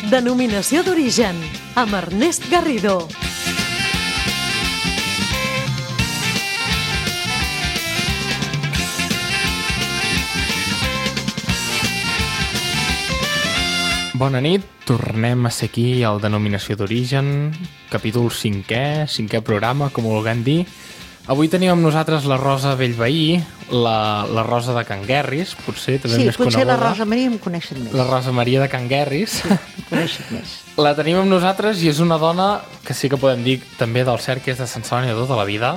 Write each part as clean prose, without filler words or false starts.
Denominació d'origen, amb Ernest Garrido. Bona nit, tornem a ser aquí al Denominació d'origen, capítol 5è programa, com ho vulguem dir. Avui tenim amb nosaltres la Rosa Bellveí, la Rosa de Can Guerris, potser també més coneguda. Sí, potser la Rosa Maria em coneixen més. La Rosa Maria de Can Guerris. Sí, em coneixen més. La tenim amb nosaltres i és una dona que sí que podem dir també del cert que és de Sant Celoni de tota la vida.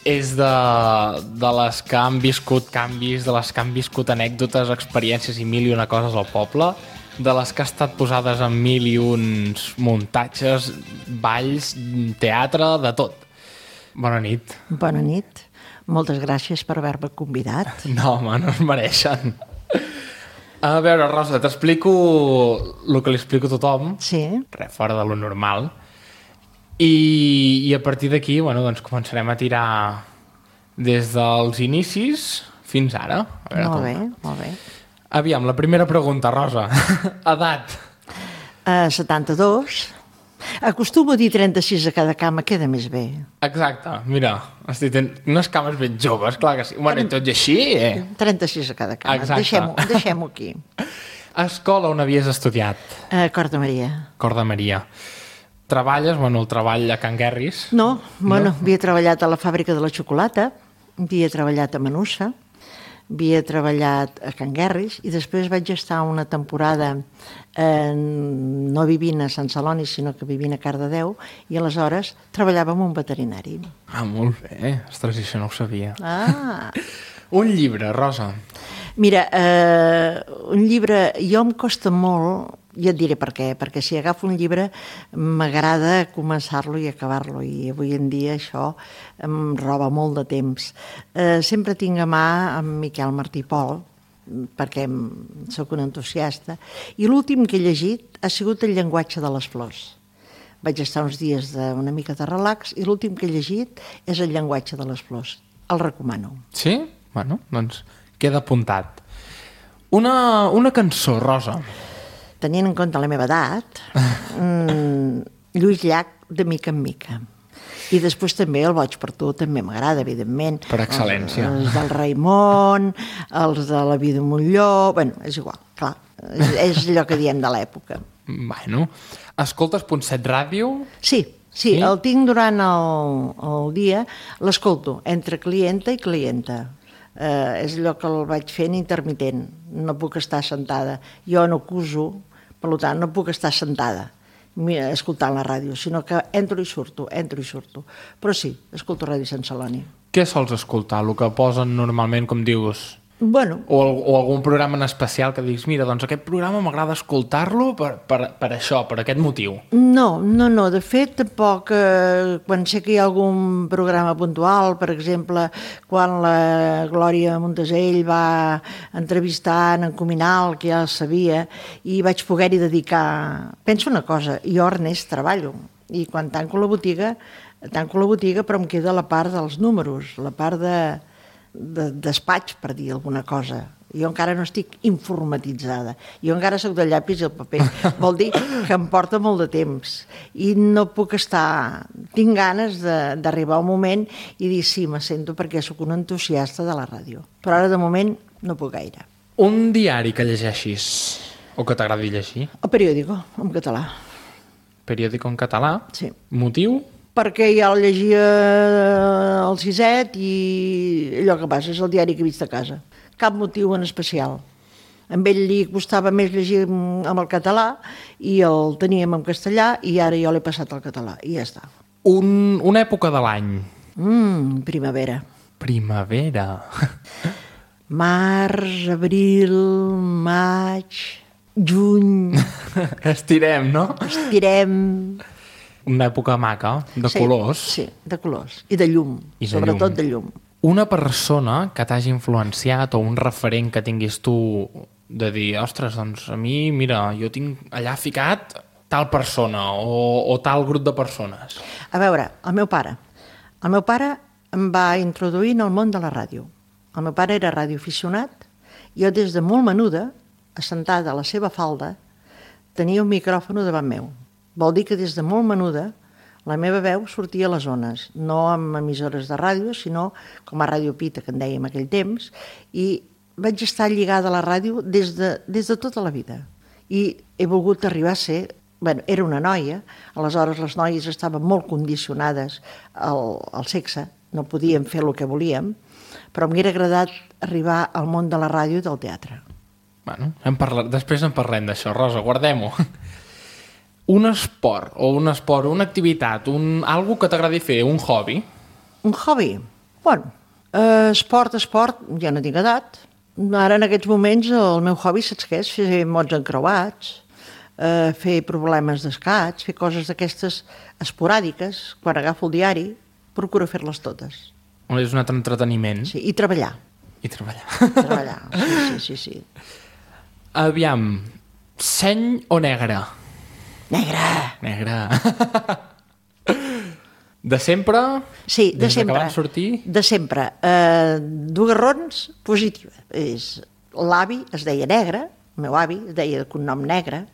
És de les que han viscut canvis, de les que han viscut anècdotes, experiències i mil i una coses al poble, de les que ha estat posades en mil i uns muntatges, balls, teatre, de tot. Bona nit. Bona nit. Moltes gràcies per haver-me convidat. No, home, no es mereixen. A veure, Rosa, t'explico el que li explico a tothom. Sí. Res fora de lo normal. I a partir d'aquí, bueno, doncs començarem a tirar des dels inicis fins ara. A veure, Molt bé, molt bé. Aviam, la primera pregunta, Rosa. Edat. 72. Acostumo a dir 36 a cada cama, queda més bé. Exacte, mira, estic tenint unes cames ben joves, clar que sí. Bueno, i tot i així, 36 a cada cama, Exacte. deixem-ho aquí. Escola on havies estudiat? Cor de Maria. Cor de Maria. Treballes, bueno, el treball a Can Guerris? No, bueno, havia treballat a la fàbrica de la xocolata, havia treballat a Manussa, havia treballat a Can Guerris i després vaig estar una temporada no vivint a Sant Celoni, sinó que vivint a Cardedeu, i aleshores treballava amb un veterinari. Ah, molt bé. Ostres, això no ho sabia. Ah! Un llibre, Rosa. Mira, un llibre, jo em costa molt, ja et diré per què, perquè si agafo un llibre m'agrada començar-lo i acabar-lo, i avui en dia això em roba molt de temps. Sempre tinc a mà en Miquel Martí i Pol, perquè sóc un entusiasta, i l'últim que he llegit ha sigut El llenguatge de les flors. Vaig estar uns dies una mica de relax i l'últim que he llegit és El llenguatge de les flors. El recomano. Sí? Bueno, doncs queda apuntat. Una cançó, Rosa. Tenint en compte la meva edat, Lluís Llach, de mica en mica. I després també El boig per tu, també m'agrada, evidentment. Per excel·lència. Els del Raimon, els de La vida d'un Montlló... Bueno, és igual, clar. És allò que diem de l'època. Bueno, escoltes .7 ràdio? Sí, el tinc durant el dia, l'escolto entre clienta i clienta. És allò que el vaig fent intermitent. No puc estar sentada. Jo no acuso, per tant, no puc estar sentada escoltant la ràdio, sinó que entro i surto. Però sí, escolto Ràdio Sant Celoni. Què sols escoltar? El que posen normalment, com dius? Bueno. O algun programa en especial que diguis, mira, doncs aquest programa m'agrada escoltar-lo per això, per aquest motiu. No. De fet, tampoc, quan sé que hi ha algun programa puntual, per exemple, quan la Glòria Montesell va entrevistar en Cominal, que ja el sabia, i vaig poder-hi dedicar... Penso una cosa, jo, Ernest, treballo, i quan tanco la botiga, però em queda la part dels números, la part de despatx, per dir alguna cosa. Jo encara no estic informatitzada. Jo encara soc de llapis i el paper. Vol dir que em porta molt de temps. I no puc estar... Tinc ganes d'arribar a un moment i dir sí, me sento, perquè sóc un entusiasta de la ràdio. Però ara, de moment, no puc gaire. Un diari que llegeixis o que t'agradi llegir? El periòdico, en català. Periòdico en català? Sí. Motiu? Perquè ja el llegia al Siset i allò que passa és el diari que he vist a casa. Cap motiu en especial. A ell li costava més llegir amb el català i el teníem en castellà i ara jo l'he passat al català i ja està. Una època de l'any? Primavera. Primavera. Març, abril, maig, juny... Estirem, no? Estirem... Una època maca, de colors. Sí, de colors. I de llum, sobretot de llum. Una persona que t'hagi influenciat o un referent que tinguis tu de dir, ostres, doncs a mi, mira, jo tinc allà ficat tal persona o tal grup de persones. A veure, el meu pare. El meu pare em va introduir en el món de la ràdio. El meu pare era radioaficionat. Jo des de molt menuda, assentada a la seva falda, tenia un micròfon davant meu. Vol dir que des de molt menuda la meva veu sortia a les zones, no amb emissores de ràdio, sinó com a Ràdio Pita, que en dèiem aquell temps, i vaig estar lligada a la ràdio des de tota la vida. I he volgut arribar a ser... era una noia, aleshores les noies estaven molt condicionades al sexe, no podíem fer el que volíem, però m'hauria agradat arribar al món de la ràdio i del teatre. Bueno, després en parlem d'això, Rosa, guardem-ho. Un esport, una activitat, algo que t'agradi fer, un hobby? Un hobby? Bueno, esport, ja no tinc edat. Ara, en aquests moments, el meu hobby, saps què és? Fer mots encreuats, fer problemes d'escaig, fer coses d'aquestes esporàdiques. Quan agafo el diari, procuro fer-les totes. És un altre entreteniment. Sí, i treballar. Treballar, sí. Aviam, seny o negre? Negre. De sempre? Sí, de Des sempre. Que van sortir? De sempre. Dues raons positives. L'avi es deia Negre, el meu avi es deia de cognom Negre,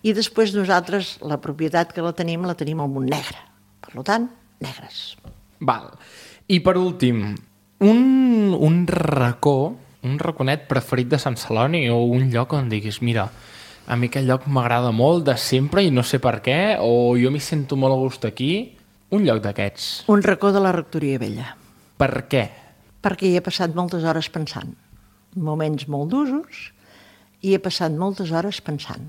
i després nosaltres la propietat que la tenim amb un negre. Per tant, negres. Val. I per últim, un racó, un raconet preferit de Sant Celoni o un lloc on diguis, mira, a mi aquest lloc m'agrada molt de sempre i no sé per què, o jo m'hi sento molt a gust aquí, un lloc d'aquests. Un racó de la Rectoria Vella. Per què? Perquè hi he passat moltes hores pensant. Moments molt d'usos, i he passat moltes hores pensant.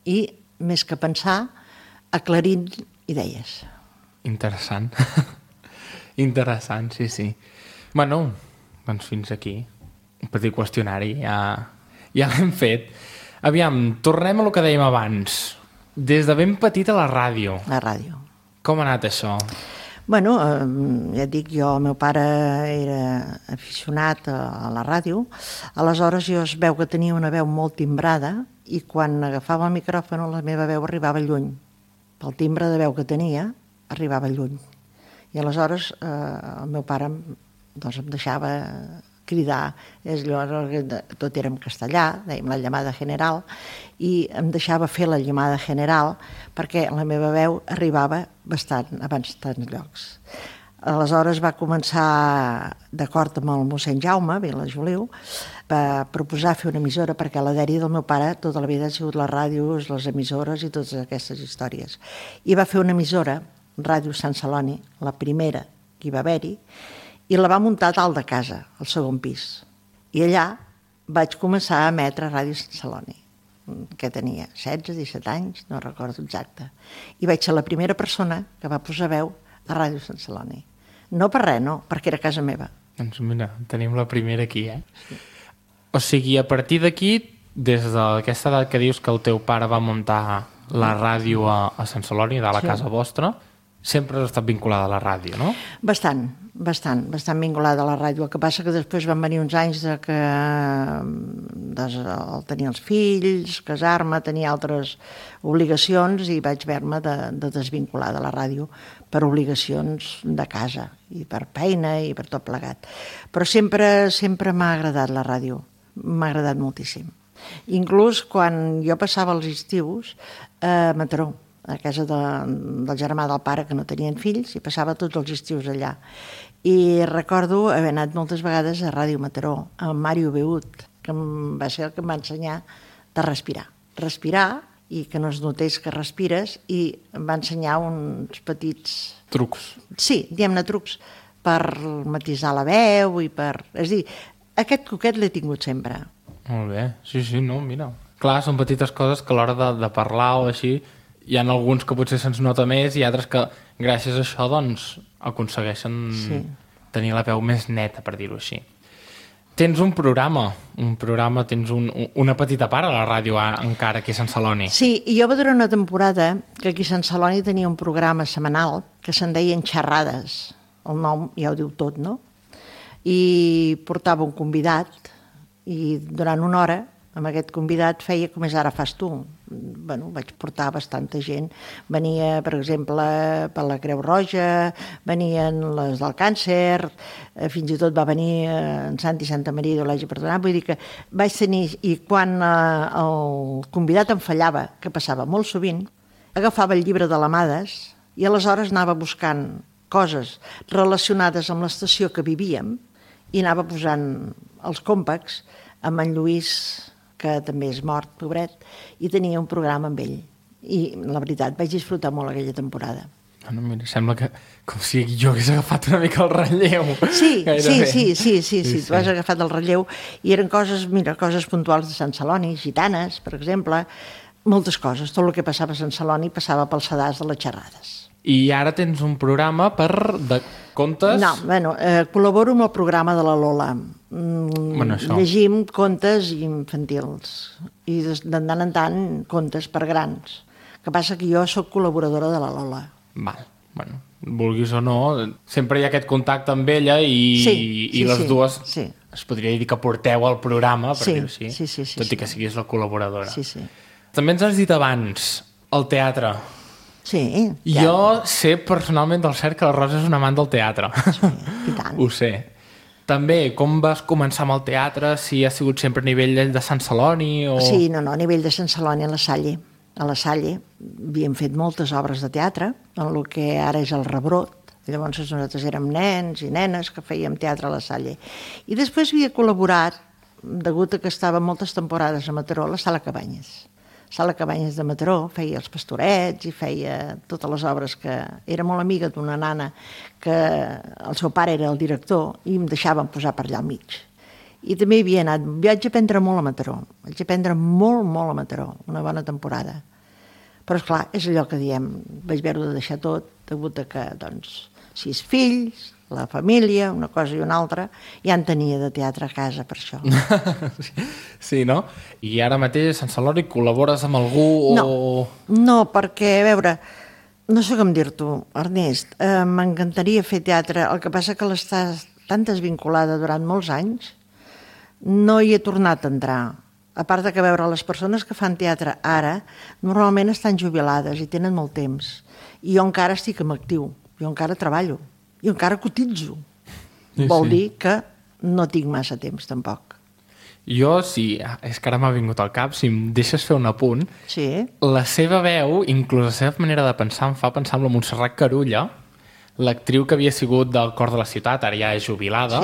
I, més que pensar, aclarint idees. Interessant. Interessant, sí. Bueno, doncs fins aquí. Un petit qüestionari, ja l'hem fet. Aviam, tornem a lo que dèiem abans. Des de ben petit a la ràdio. La ràdio. Com ha anat això? Bueno, ja et dic, el meu pare era aficionat a la ràdio, aleshores jo es veu que tenia una veu molt timbrada i quan agafava el micròfon la meva veu arribava lluny. Pel timbre de veu que tenia, arribava lluny. I aleshores el meu pare doncs, em deixava cridar, tot era en castellà, dèiem la llamada general, i em deixava fer la llamada general perquè la meva veu arribava bastant a bastants llocs. Aleshores va començar, d'acord amb el mossèn Jaume, Vila Juliu, va proposar fer una emissora perquè la dèria del meu pare tota la vida ha sigut les ràdios, les emissores i totes aquestes històries. I va fer una emissora, Ràdio Sant Celoni, la primera que hi va haver-hi, i la va muntar a dalt de casa, al segon pis. I allà vaig començar a emetre Ràdio Sant Celoni, que tenia 16-17 anys, no recordo exacte. I vaig ser la primera persona que va posar veu a Ràdio Sant Celoni. No per res, no, perquè era casa meva. Doncs mira, tenim la primera aquí, Sí. O sigui, a partir d'aquí, des d'aquesta edat que dius que el teu pare va muntar la ràdio a Sant Celoni, de la casa vostra, sempre has estat vinculada a la ràdio, no? Bastant vinculada a la ràdio. El que passa que després van venir uns anys de que tenia els fills, casar-me, tenia altres obligacions i vaig haver-me de desvincular de la ràdio per obligacions de casa i per feina i per tot plegat. Però sempre m'ha agradat la ràdio, m'ha agradat moltíssim. Inclús quan jo passava els estius a Mataró, a casa del germà del pare, que no tenien fills, i passava tots els estius allà. I recordo haver anat moltes vegades a Ràdio Mataró, amb Mario Beut, que va ser el que em va ensenyar de respirar. Respirar i que no es notés que respires, i em va ensenyar uns petits... Trucs. Sí, diguem-ne trucs, per matisar la veu i per... És a dir, aquest coquet l'he tingut sempre. Molt bé, sí, no, mira. Clar, són petites coses que a l'hora de parlar o així hi ha alguns que potser se'ns nota més i altres que gràcies a això doncs aconsegueixen tenir la veu més neta, per dir-ho així. Tens un programa, tens una petita part a la ràdio encara aquí a Sant Celoni. Sí, i jo va durar una temporada que aquí a Sant Celoni tenia un programa setmanal que se'n deien Xerrades. El nom ja ho diu tot, no? I portava un convidat i durant una hora amb aquest convidat feia com és ara fas tu. vaig portar bastanta gent. Venia, per exemple, per la Creu Roja, venien les del càncer, fins i tot va venir en Santi Santa Maria d'Olesa Perdonat, vull dir que vaig tenir, i quan el convidat em fallava, que passava molt sovint, agafava el llibre de l'Amades i aleshores anava buscant coses relacionades amb l'estació que vivíem i anava posant els còmpacs amb en Lluís, que també és mort, pobret, i tenia un programa amb ell. I, la veritat, vaig disfrutar molt aquella temporada. Bueno, mira, sembla que com si jo hagués agafat una mica el relleu. Sí, tu has agafat el relleu i eren coses, coses puntuals de Sant Celoni, gitanes, per exemple, moltes coses. Tot el que passava a Sant Celoni passava pel sedàs de les xerrades. I ara tens un programa de contes? No, col·laboro amb el programa de la Lola. Llegim contes infantils i de tant en tant contes per grans. El que passa que jo sóc col·laboradora de la Lola. Val, bueno, vulguis o no, sempre hi ha aquest contacte amb ella i les dues es podria dir que porteu el programa, per dir-ho així, tot i que siguis la col·laboradora. També ens has dit abans, el teatre. Sí. Jo sé personalment del cert que la Rosa és una amant del teatre. Sí, i tant. Ho sé. També, com vas començar amb el teatre? Si ha sigut sempre a nivell de Sant Celoni? O... Sí, no, a nivell de Sant Celoni, a la Salle. A la Salle havíem fet moltes obres de teatre, en el que ara és el Rebrot. Llavors nosaltres érem nens i nenes que fèiem teatre a la Salle. I després havia col·laborat, degut a que estava moltes temporades a Mataró, a la Sala Cabanyes. Sala Cabanyes de Mataró, feia els Pastorets i feia totes les obres que... Era molt amiga d'una nana que el seu pare era el director i em deixaven posar per allà al mig. I també hi havia anat. Vaig aprendre molt a Mataró. Vaig aprendre molt, molt a Mataró. Una bona temporada. Però, esclar, és allò que diem. Vaig veure de deixar tot, degut a que, doncs, 6 fills, la família, una cosa i una altra, ja en tenia de teatre a casa per això. Sí, no? I ara mateix a Sant Celoni col·labores amb algú o... No, perquè, a veure, no sé com dir-t'ho, Ernest, m'encantaria fer teatre, el que passa que l'estàs tan desvinculada durant molts anys, no hi he tornat a entrar. A part de que veure les persones que fan teatre ara, normalment estan jubilades i tenen molt temps. I jo encara estic en actiu, jo encara treballo. Jo encara cotitzo. Vol dir que no tinc massa temps, tampoc. Jo, sí, és que ara m'ha vingut al cap, si em deixes fer un apunt, la seva veu, inclús la seva manera de pensar, em fa pensar en la Montserrat Carulla, l'actriu que havia sigut del Cor de la Ciutat, ara ja és jubilada,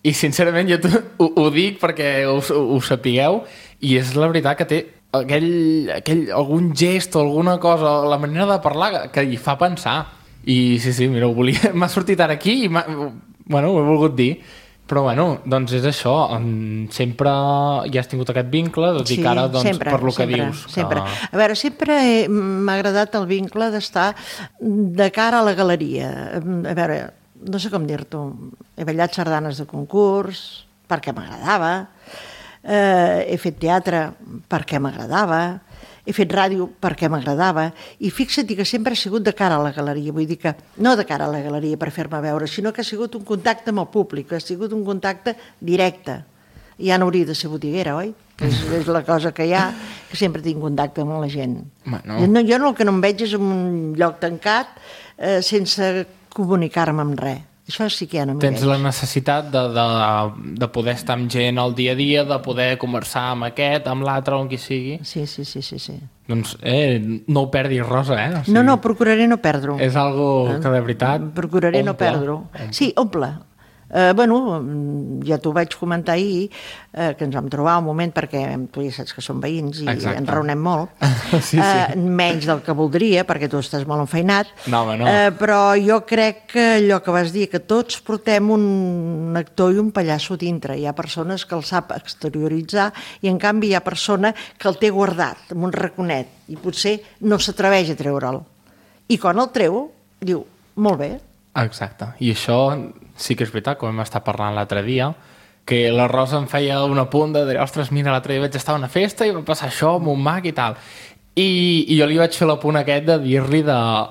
i sincerament jo ho dic perquè ho sapigueu, i és la veritat que té algun gest o alguna cosa, la manera de parlar que hi fa pensar. I sí, mira, m'ha sortit ara aquí i ho he volgut dir. Però bueno, doncs és això, sempre ja has tingut aquest vincle, tot i que ara, doncs, per lo que dius. Sempre. A veure, sempre m'ha agradat el vincle d'estar de cara a la galeria. A veure, no sé com dir-t'ho, he ballat sardanes de concurs perquè m'agradava, he fet teatre perquè m'agradava, he fet ràdio perquè m'agradava, i fixa't que sempre ha sigut de cara a la galeria, vull dir que no de cara a la galeria per fer-me veure, sinó que ha sigut un contacte amb el públic, ha sigut un contacte directe. Ja no hauria de ser botiguera, oi? És la cosa que hi ha, que sempre tinc contacte amb la gent. Jo el que no em veig és en un lloc tancat sense comunicar-me amb res. Això sí que ja no m'hi veig. Tens la necessitat de poder estar amb gent al dia a dia, de poder conversar amb aquest, amb l'altre, amb qui sigui. Sí. Doncs no ho perdis, Rosa, eh? O sigui, no, procuraré no perdre-ho. És algo que de veritat procuraré no perdre-ho. Sí, omple. Ja t'ho vaig comentar ahir, que ens vam trobar un moment, perquè tu ja saps que som veïns i ens raonem molt, menys del que voldria, perquè tu estàs molt enfeinat, però jo crec que allò que vas dir, que tots portem un actor i un pallasso dintre. Hi ha persones que el sap exterioritzar i en canvi hi ha persona que el té guardat amb un raconet i potser no s'atreveix a treure'l. I quan el treu, diu, molt bé. Exacte, i això sí que és veritat, com hem estat parlant l'altre dia, que la Rosa em feia un apunt de dir, ostres, mira, l'altre dia vaig estar a una festa i va passar això amb un mag i tal. I jo li vaig fer l'apunt aquest de dir-li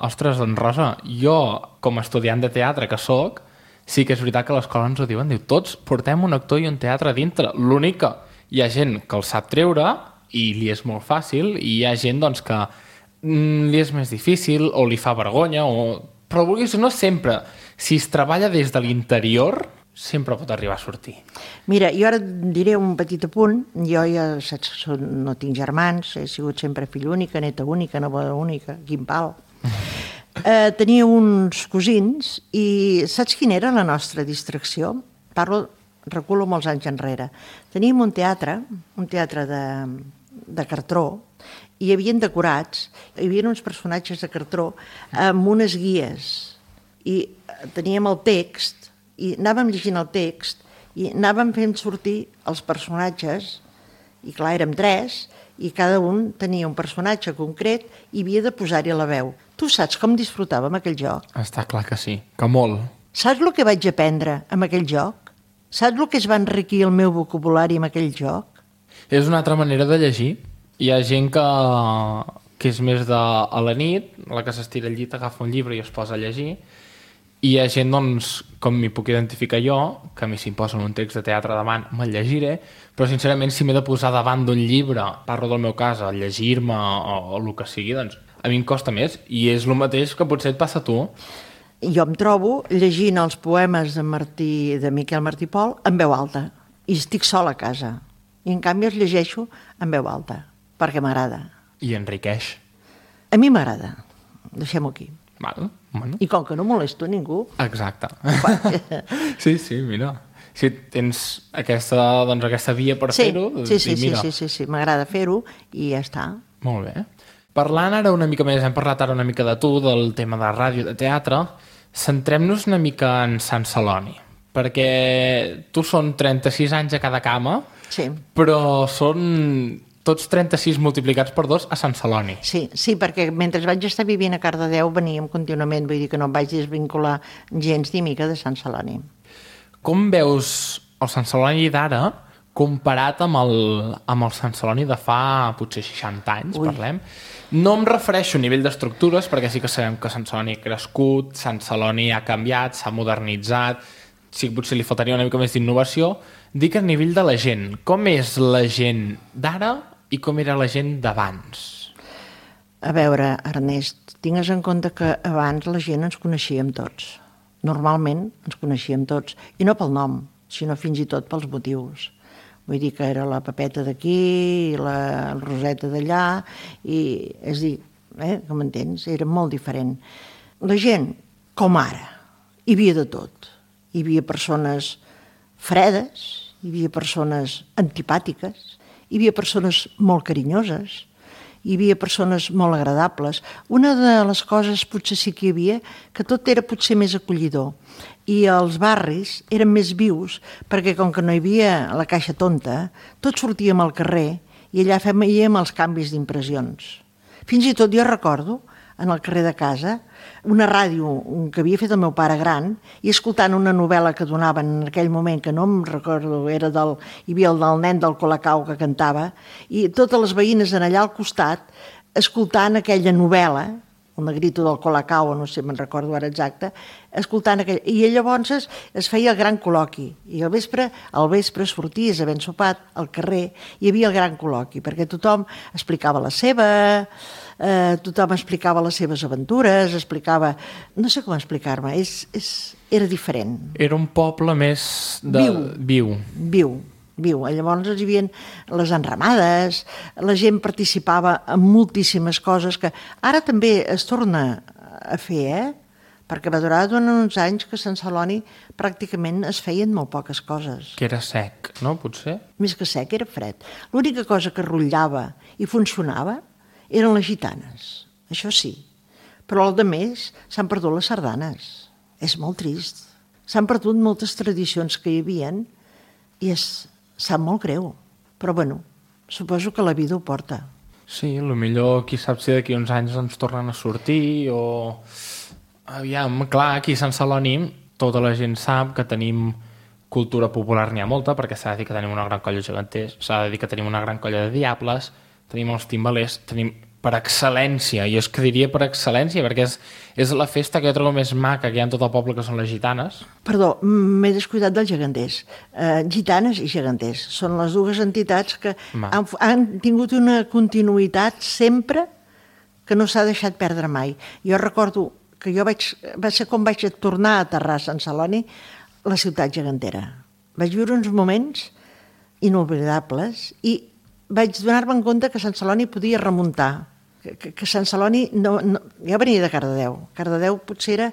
ostres, doncs Rosa, jo, com a estudiant de teatre que sóc, sí que és veritat que a l'escola ens ho diuen, diu, tots portem un actor i un teatre dintre. L'únic que hi ha gent que el sap treure i li és molt fàcil, i hi ha gent doncs, que li és més difícil o li fa vergonya, però vulguis o no, sempre, si es treballa des de l'interior, sempre pot arribar a sortir. Mira, jo ara diré un petit apunt. Jo ja saps que no tinc germans, he sigut sempre filla única, neta única, neboda única, quin pal. Tenia uns cosins i saps quina era la nostra distracció? Reculo molts anys enrere. Teníem un teatre de cartró, i hi havia decorats, hi havia uns personatges de cartró amb unes guies, i teníem el text, i anàvem llegint el text, i anàvem fent sortir els personatges, i clar, érem 3, i cada un tenia un personatge concret i havia de posar-hi la veu. Tu saps com disfrutàvem aquell joc? Està clar que sí, que molt. Saps el que vaig aprendre amb aquell joc? Saps el que es va enriquir el meu vocabulari amb aquell joc? És una altra manera de llegir. Hi ha gent que és més a la nit, la que s'estira al llit, agafa un llibre i es posa a llegir, i hi ha gent, doncs, com m'hi puc identificar jo, que a mi si em posen un text de teatre davant me'l llegiré, però sincerament si m'he de posar davant d'un llibre, parlo del meu cas, a llegir-me o el que sigui, doncs a mi em costa més, i és el mateix que potser et passa a tu. Jo em trobo llegint els poemes de Miquel Martí i Pol en veu alta, i estic sola a casa, i en canvi els llegeixo en veu alta, perquè m'agrada. I enriqueix. A mi m'agrada, deixem-ho aquí. Val, bueno. I com que no molesto ningú... Exacte. Sí, mira. Si tens aquesta via per fer-ho... Sí, m'agrada fer-ho i ja està. Molt bé. Parlant ara una mica més, hem parlat ara una mica de tu, del tema de ràdio, de teatre, centrem-nos una mica en Sant Celoni, perquè tu són 36 anys a cada cama, sí, però són tots 36 multiplicats per 2 a Sant Celoni. Sí, perquè mentre vaig estar vivint a Cardedeu veníem contínuament, vull dir que no em vaig desvincular gens ni mica de Sant Celoni. Com veus el Sant Celoni d'ara comparat amb el Sant Celoni de fa potser 60 anys, parlem? No em refereixo a nivell d'estructures, perquè sí que sabem que Sant Celoni ha crescut, Sant Celoni ha canviat, s'ha modernitzat, sí que potser li faltaria una mica més d'innovació. Dic a nivell de la gent. Com és la gent d'ara i com era la gent d'abans? A veure, Ernest, tingues en compte que abans la gent ens coneixíem tots. Normalment ens coneixíem tots, i no pel nom, sinó fins i tot pels motius. Vull dir que era la Pepeta d'aquí, la Roseta d'allà, i és dir, com m'entens? Era molt diferent. La gent, com ara, hi havia de tot. Hi havia persones fredes, hi havia persones antipàtiques, hi havia persones molt carinyoses, hi havia persones molt agradables. Una de les coses potser sí que hi havia, que tot era potser més acollidor. I els barris eren més vius, perquè com que no hi havia la caixa tonta, tots sortíem al carrer i allà fèiem els canvis d'impressions. Fins i tot jo recordo, en el carrer de casa, una ràdio que havia fet el meu pare gran, i escoltant una novel·la que donaven en aquell moment, que no em recordo, hi havia el del nen del Colacau que cantava, i totes les veïnes en allà al costat, escoltant aquella novel·la, el negrito del Colacau, no sé, me'n recordo ara exacte, escoltant aquell... I llavors es feia el gran col·loqui, i al vespre sorties havent sopat al carrer, hi havia el gran col·loqui, perquè tothom explicava la seva... tothom explicava les seves aventures, explicava... No sé com explicar-me, era diferent. Era un poble més viu. Viu. Llavors hi havia les enramades, la gent participava en moltíssimes coses que ara també es torna a fer, perquè va durar durant uns anys que a Sant Celoni pràcticament es feien molt poques coses. Que era sec, no? Potser? Més que sec, era fred. L'única cosa que rotllava i funcionava eren les gitanes, això sí. Però al de més s'han perdut les sardanes. És molt trist. S'han perdut moltes tradicions que hi havien i sap molt greu. Però bueno, suposo que la vida ho porta. Sí, potser qui sap si d'aquí uns anys ens tornen a sortir o... Aviam, clar, aquí a Sant Celoni tota la gent sap que tenim cultura popular, n'hi ha molta, perquè s'ha de dir que tenim una gran colla de geganters, s'ha de dir que tenim una gran colla de diables, tenim els timbalers, tenim per excel·lència, i és que diria per excel·lència, perquè és la festa que jo trobo més maca que hi ha en tot el poble, que són les gitanes. Perdó, m'he descuidat dels geganters. Gitanes i geganters són les dues entitats que han tingut una continuïtat sempre que no s'ha deixat perdre mai. Jo recordo que va ser com vaig tornar a aterrar a Sant Celoni, la ciutat gegantera. Vaig viure uns moments inoblidables i vaig donar-me en compte que Sant Celoni podia remuntar, que Sant Celoni ja venia de Cardedeu. Cardedeu potser era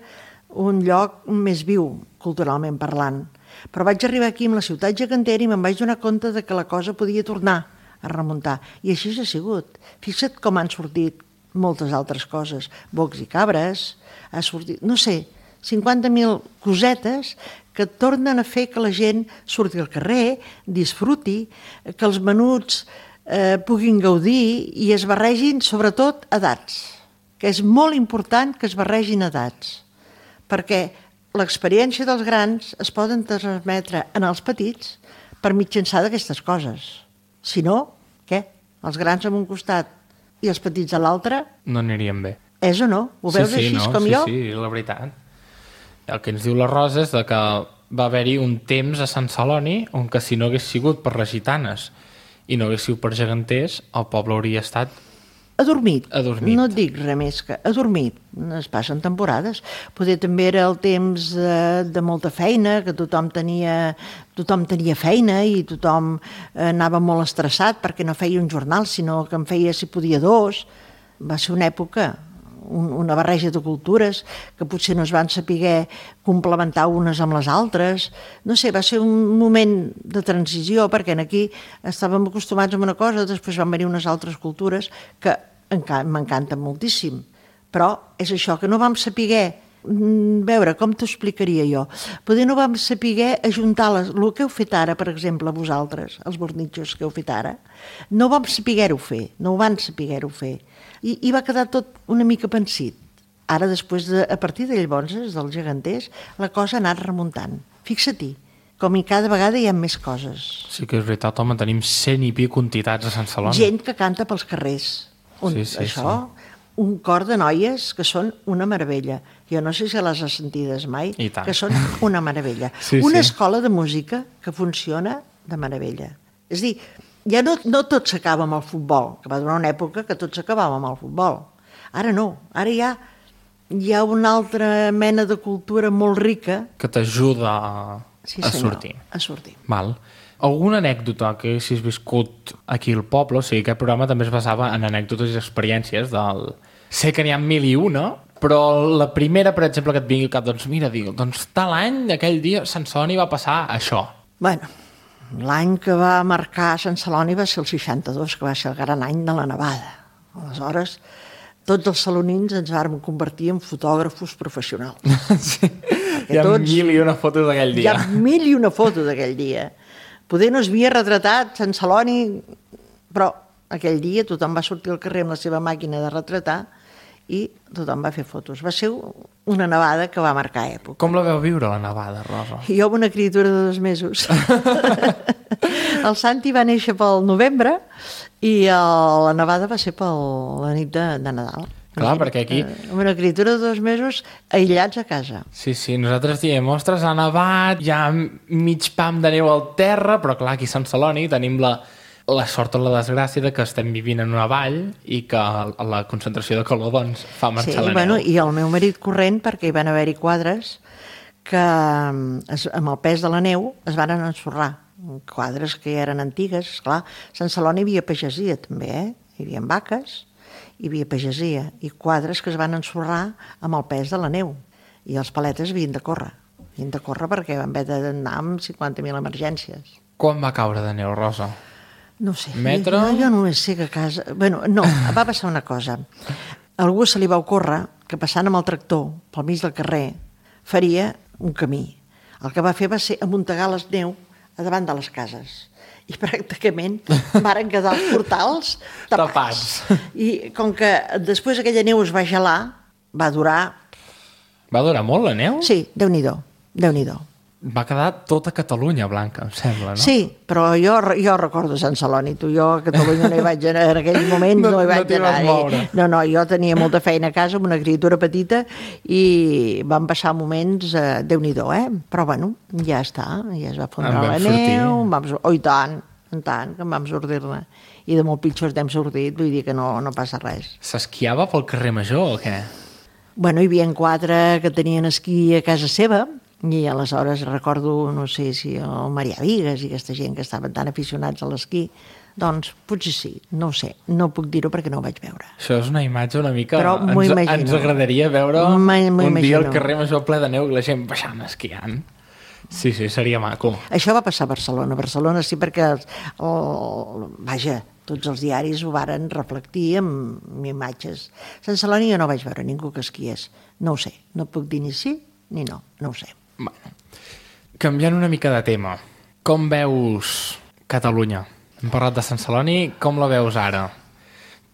un lloc més viu, culturalment parlant. Però vaig arribar aquí amb la ciutat gegantera i me'n vaig donar compte de que la cosa podia tornar a remuntar. I així ha sigut. Fixa't com han sortit moltes altres coses. Bocs i cabres, ha sortit, no sé, 50.000 cosetes que tornen a fer que la gent surti al carrer, disfruti, que els menuts puguin gaudir i es barregin, sobretot, edats, que és molt important que es barregin edats, perquè l'experiència dels grans es poden transmetre en els petits per mitjançar d'aquestes coses. Si no, què? Els grans en un costat i els petits a l'altre... No anirien bé. És o no? Ho veus així com jo? Sí, la veritat. El que ens diu la Rosa és que va haver-hi un temps a Sant Celoni on que si no hagués sigut per les gitanes i no hagués sigut per geganters, el poble hauria estat... Adormit. Adormit. No et dic res més que adormit. Es passen temporades. Poder també era el temps de molta feina, que tothom tenia feina i tothom anava molt estressat perquè no feia un jornal, sinó que en feia, si podia, 2. Va ser una època, una barreja de cultures que potser no es van saber complementar unes amb les altres. No sé, va ser un moment de transició, perquè aquí estàvem acostumats a una cosa, després van venir unes altres cultures que m'encanten moltíssim. Però és això, que no vam saber veure, com t'ho explicaria jo? Poder no vam saber ajuntar el que heu fet ara, per exemple, vosaltres, els bornitxos que heu fet ara, no vam saber-ho fer, no ho van saber-ho fer. I va quedar tot una mica pensit. Ara, després, a partir de llavors, dels geganters, la cosa ha anat remuntant. Fixa-t'hi, com i cada vegada hi ha més coses. Sí que és veritat, home, tenim 100 i pico entitats a Sant Celoni. Gent que canta pels carrers. Això, un cor de noies que són una meravella. Jo no sé si les has sentides mai, que són una meravella. Una escola de música que funciona de meravella. És a dir, ja no tot s'acaba amb el futbol, que va durar una època que tot s'acabava amb el futbol. Ara no, ara hi ha una altra mena de cultura molt rica que t'ajuda a sortir. A sortir. Val. Alguna anècdota que haguessis viscut aquí al poble? O sigui, aquest programa també es basava en anècdotes i experiències del... Sé que n'hi ha 1001, però la primera, per exemple, que et vingui al cap, doncs mira, doncs tal any, aquell dia, a Sant Celoni va passar això. Bueno, l'any que va marcar Sant Celoni va ser el 62, que va ser el gran any de la nevada. Aleshores, tots els salonins ens vam convertir en fotògrafos professionals. Sí. Hi ha 1001 fotos d'aquell dia. Hi ha 1001 fotos d'aquell dia. Poder no es havia retratat Sant Celoni, però aquell dia tothom va sortir al carrer amb la seva màquina de retratar i tothom va fer fotos. Va ser una nevada que va marcar època. Com la veu viure, la nevada, Rosa? Jo amb una criatura de 2 mesos. El Santi va néixer pel novembre i la nevada va ser per la nit de Nadal. Clar, perquè aquí... Amb una criatura de 2 mesos aïllats a casa. Sí, nosaltres diem, ostres, ha nevat, hi ha mig pam de neu al terra, però clar, aquí a Sant Celoni tenim la sort o la desgràcia de que estem vivint en una vall i que la concentració de calor doncs, fa marxar la neu. I el meu marit corrent, perquè hi van haver-hi quadres que amb el pes de la neu es van ensorrar. Quadres que eren antigues, esclar. A Sant Celoni hi havia pagesia també, hi havia vaques, hi havia pagesia i quadres que es van ensorrar amb el pes de la neu. I els paletes havien de córrer. Havien de córrer perquè van haver d'anar amb 50.000 emergències. Quan va caure de neu, Rosa? No sé. Metro? Jo només sé que a casa... Bueno, no, va passar una cosa. A algú se li va ocórrer que passant amb el tractor pel mig del carrer faria un camí. El que va fer va ser amuntegar les neu a davant de les cases. I pràcticament varen quedar els portals tapats. I com que després aquella neu es va gelar, va durar... Va durar molt la neu? Sí, Déu-n'hi-do, Déu-n'hi-do. Va quedar tota Catalunya blanca, em sembla, no? Sí, però jo recordo Sant Celoni. Jo a Catalunya no hi vaig anar, en aquells moments no hi vaig t'hi vas anar. moure. No, jo tenia molta feina a casa amb una criatura petita i vam passar moments, Déu-n'hi-do, Però bueno, ja està, ja es va fondre En vam la sortir. neu, oh, i tant, que en vam sortir-ne. I de molt pitjors n'hem sortit, vull dir que no passa res. S'esquiava pel carrer Major o què? Bueno, hi havia 4 que tenien esquí a casa seva, i aleshores recordo, no sé si el Marià Vigues i aquesta gent que estaven tan aficionats a l'esquí, doncs potser sí, no ho sé, no puc dir-ho perquè no ho vaig veure. Això és una imatge una mica... Però m'ho imagino. Ens agradaria veure M'ho un dia al imagino. carrer Major ple de neu i la gent baixant esquiant. Sí, seria maco. Això va passar a Barcelona. A Barcelona sí, perquè vaja, tots els diaris ho varen reflectir amb imatges. A Sant Celoni jo no vaig veure ningú que esquiés. No ho sé, no puc dir ni sí ni no ho sé. Bueno, canviant una mica de tema, com veus Catalunya? Hem parlat de Sant Celoni, com la veus ara?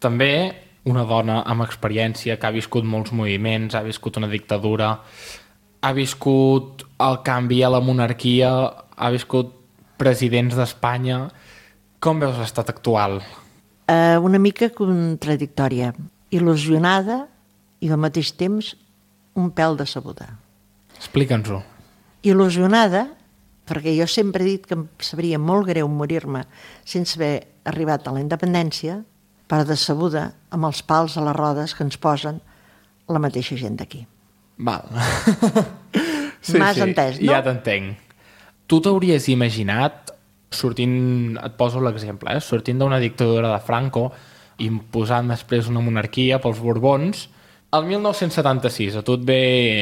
També una dona amb experiència que ha viscut molts moviments, ha viscut una dictadura, ha viscut el canvi a la monarquia, ha viscut presidents d'Espanya. Com veus l'estat actual? Una mica contradictòria, il·lusionada i al mateix temps un pèl decebuda. Explica'ns-ho. Il·lusionada, perquè jo sempre he dit que em sabria molt greu morir-me sense haver arribat a la independència, però decebuda amb els pals a les rodes que ens posen la mateixa gent d'aquí. Val. M'has entès, no? Ja t'entenc. Tu t'hauries imaginat, sortint, et poso l'exemple, sortint d'una dictadura de Franco, imposant després una monarquia pels Borbons, el 1976 a tu et ve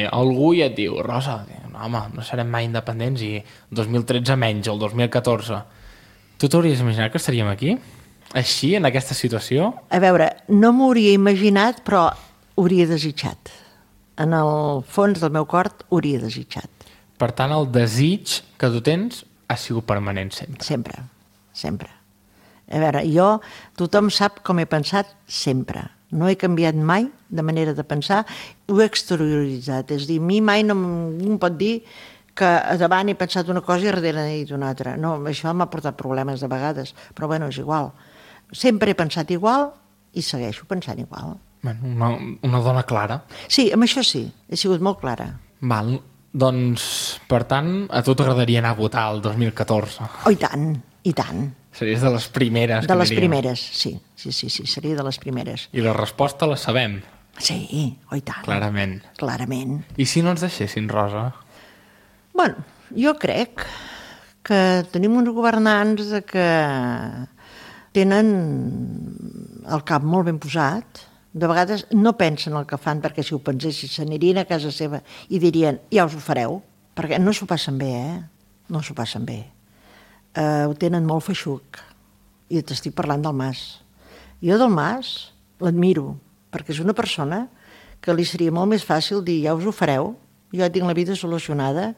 algú i et diu Rosa, no, home, no serem mai independents i 2013 menys, el 2014. Tu t'hauries imaginat que estaríem aquí? Així, en aquesta situació? A veure, no m'ho hauria imaginat, però ho hauria desitjat. En el fons del meu cor ho hauria desitjat. Per tant, el desig que tu tens ha sigut permanent sempre. Sempre. A veure, tothom sap com he pensat sempre. No he canviat mai de manera de pensar, ho he exterioritzat. És a dir, a mi mai no em pot dir que a davant he pensat una cosa i darrere he dit una altra. No, això m'ha portat problemes de vegades, però bueno, és igual. Sempre he pensat igual i segueixo pensant igual. Bueno, una dona clara. Sí, amb això sí, he sigut molt clara. Val, doncs, per tant, a tu t'agradaria anar a votar el 2014? Oh, i tant. Series de les primeres. De les primeres, sí, seria de les primeres. I la resposta la sabem. Sí, oh, i tant. Clarament. I si no ens deixessin, Rosa? Bueno, jo crec que tenim uns governants que tenen el cap molt ben posat. De vegades no pensen el que fan, perquè si ho pensessin s'anirien a casa seva i dirien, ja us ho fareu, perquè no s'ho passen bé, no s'ho passen bé. Ho tenen molt feixuc. I t'estic parlant del Mas. Jo del Mas l'admiro, perquè és una persona que li seria molt més fàcil dir, ja us ho fareu, jo tinc la vida solucionada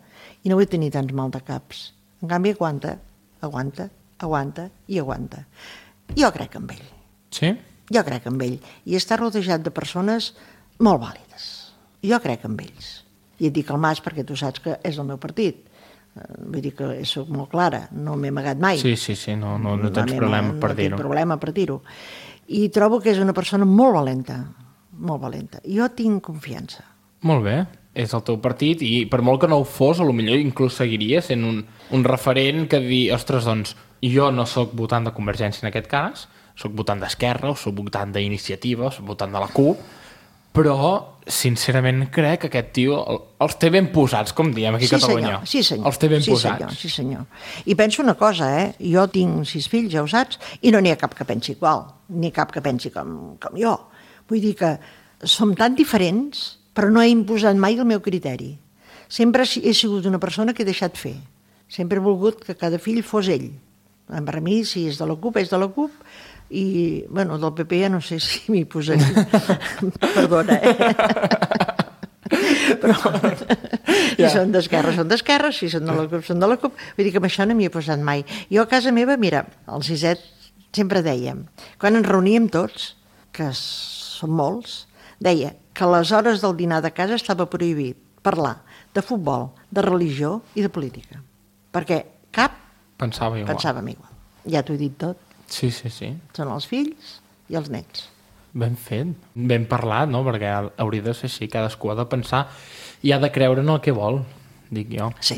i no vull tenir tants mal de caps. En canvi, aguanta. Jo crec en ell. Sí? Jo crec en ell. I està rodejat de persones molt vàlides. Jo crec en ells. I et dic el Mas perquè tu saps que és el meu partit. Vull dir que soc molt clara, no m'he amagat mai. Sí, no tens problema per dir-ho. No tinc problema per dir-ho. I trobo que és una persona molt valenta. Jo tinc confiança. Molt bé, és el teu partit i per molt que no ho fos, potser inclús seguiria sent un referent que dir, ostres, doncs, jo no sóc votant de Convergència en aquest cas, sóc votant d'Esquerra, o sóc votant d'Iniciativa, o sóc votant de la CUP, però, sincerament, crec que aquest tio els té ben posats, com diem aquí a Catalunya. Sí, senyor. Els té ben posats. Sí, senyor. I penso una cosa, jo tinc 6 fills, ja ho saps, i no n'hi ha cap que pensi igual, ni cap que pensi com jo. Vull dir que som tan diferents, però no he imposat mai el meu criteri. Sempre he sigut una persona que he deixat fer. Sempre he volgut que cada fill fos ell. Per mi, si és de la CUP, és de la CUP, i, bueno, del PP ja no sé si m'hi posaria. Perdona, Però si són d'esquerra, si són de la CUP, són de la CUP. Vull dir que amb això no m'hi he posat mai. Jo a casa meva, mira, al Siset sempre dèiem, quan ens reuníem tots, que som molts, deia que a les hores del dinar de casa estava prohibit parlar de futbol, de religió i de política. Perquè cap Pensava igual. pensàvem igual. Ja t'ho he dit tot. Sí. Són els fills i els nets. Ben fet, ben parlat, no? Perquè hauria de ser així, cadascú ha de pensar i ha de creure en el que vol, dic jo. Sí.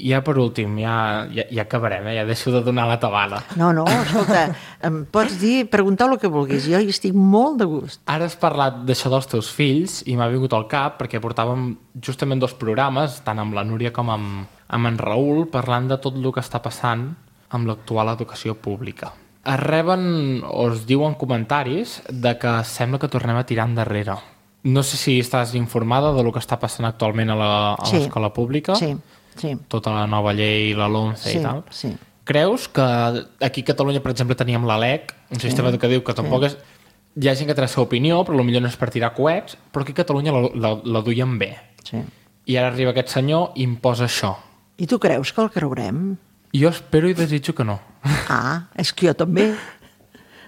I ja per últim, ja acabarem, ja deixo de donar la tabada. No, escolta, em pots dir, preguntar el que vulguis, jo hi estic molt de gust. Ara has parlat d'això dels teus fills i m'ha vingut al cap perquè portàvem justament 2 programes, tant amb la Núria com amb en Raül, parlant de tot el que està passant amb l'actual educació pública. Es reben o es diuen comentaris de que sembla que tornem a tirar endarrere. No sé si estàs informada de lo que està passant actualment a l'escola pública. Sí. Tota la nova llei, la LOMCE i tal. Sí. Creus que aquí a Catalunya, per exemple, teníem la LEC, un sistema educatiu que tampoc és... Hi ha gent que té la seva opinió, però potser no és per tirar coets, però aquí a Catalunya la duien bé. Sí. I ara arriba aquest senyor i imposa això. I tu creus que el creurem? Jo espero i desitjo que no. Ah, és que jo també.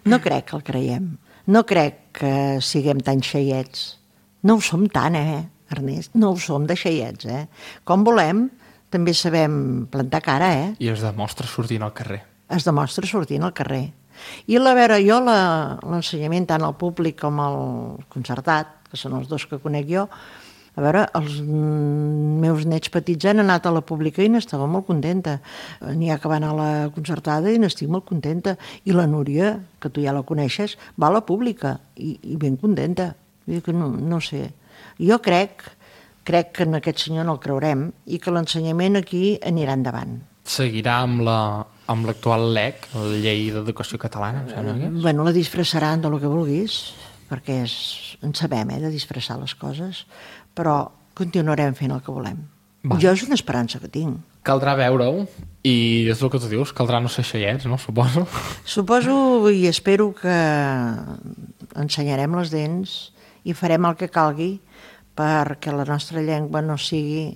No crec que el creiem. No crec que siguem tan xeiets. No ho som tant, Ernest? No ho som de xeiets, Com volem, també sabem plantar cara, I es demostra sortint al carrer. Es demostra sortint al carrer. I a veure, jo l'ensenyament tant al públic com al concertat, que són els 2 que conec jo, a veure, els meus nets petits han anat a la pública i n'estava molt contenta. N'hi ha que van a la concertada i n'estic molt contenta. I la Núria, que tu ja la coneixes, va a la pública i ben contenta. Vull dir que no sé. Jo crec que en aquest senyor no el creurem i que l'ensenyament aquí anirà endavant. Seguirà amb l'actual LEC, la Llei d'Educació Catalana, em sembla que és? Bueno, la disfressaran de lo que vulguis, perquè en sabem, de disfressar les coses, però continuarem fent el que volem. Va. Jo és una esperança que tinc. Caldrà veure-ho, i és el que tu dius, caldrà no ser xeiets, no? Suposo. Suposo i espero que ensenyarem les dents i farem el que calgui perquè la nostra llengua no sigui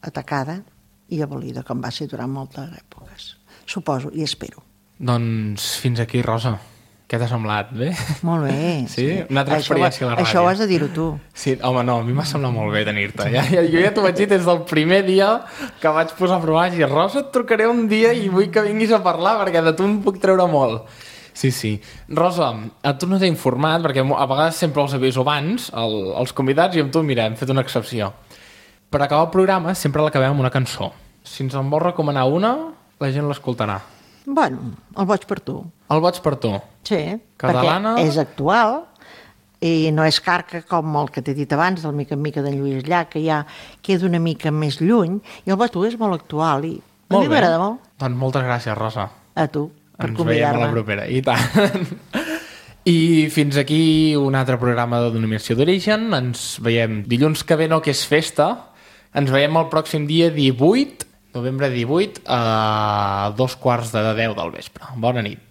atacada i abolida, com va ser durant moltes èpoques. Suposo i espero. Doncs fins aquí, Rosa. Què t'ha semblat? Bé? Molt bé. Sí? Una altra experiència a la ràdio. Això ho has de dir-ho tu. Sí, home, no, a mi m'ha semblat molt bé tenir-te. Jo ja t'ho vaig dir des del primer dia que vaig posar a provar i Rosa, et trucaré un dia i vull que vinguis a parlar perquè de tu em puc treure molt. Sí. Rosa, a tu no t'he informat, perquè a vegades sempre els aviso abans, els convidats, i amb tu, mira, hem fet una excepció. Per acabar el programa sempre l'acabem amb una cançó. Si ens en vols recomanar una, la gent l'escoltarà. Bueno, el boig per tu. El boig per tu. Sí, Catalana... perquè és actual i no és carca com el que t'he dit abans, del Mica en Mica d'en Lluís Llach, que ja queda una mica més lluny, i el boig per tu és molt actual i a mi m'agrada molt. Doncs moltes gràcies, Rosa. A tu, per ens convidar-me. Ens veiem a la propera, i tant. I fins aquí un altre programa de Denominació d'Origen. Ens veiem dilluns que ve, no, que és festa. Ens veiem el pròxim dia 18, novembre 18, a 2:15 del vespre. Bona nit.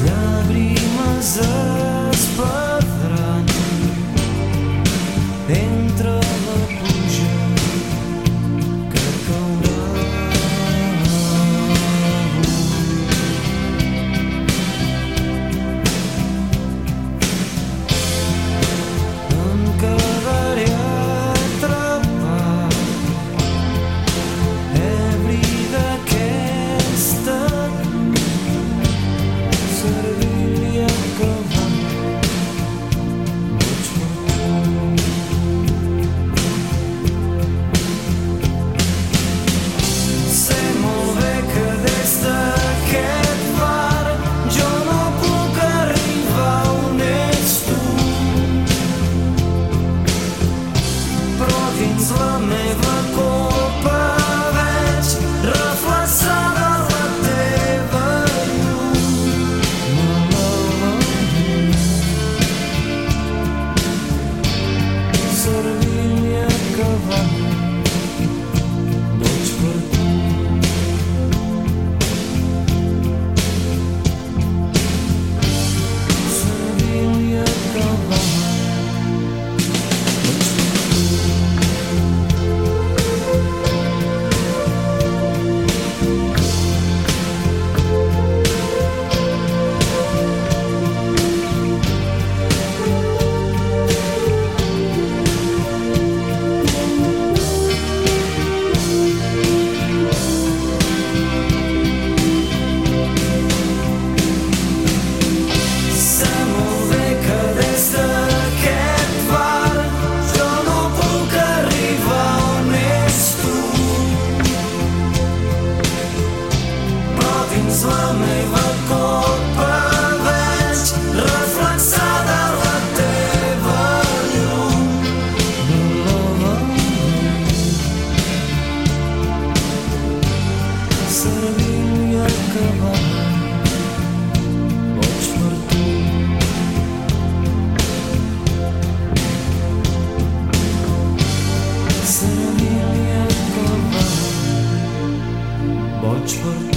Yeah. servint i acabat, boig per tu. Servint i acabat, boig per tu.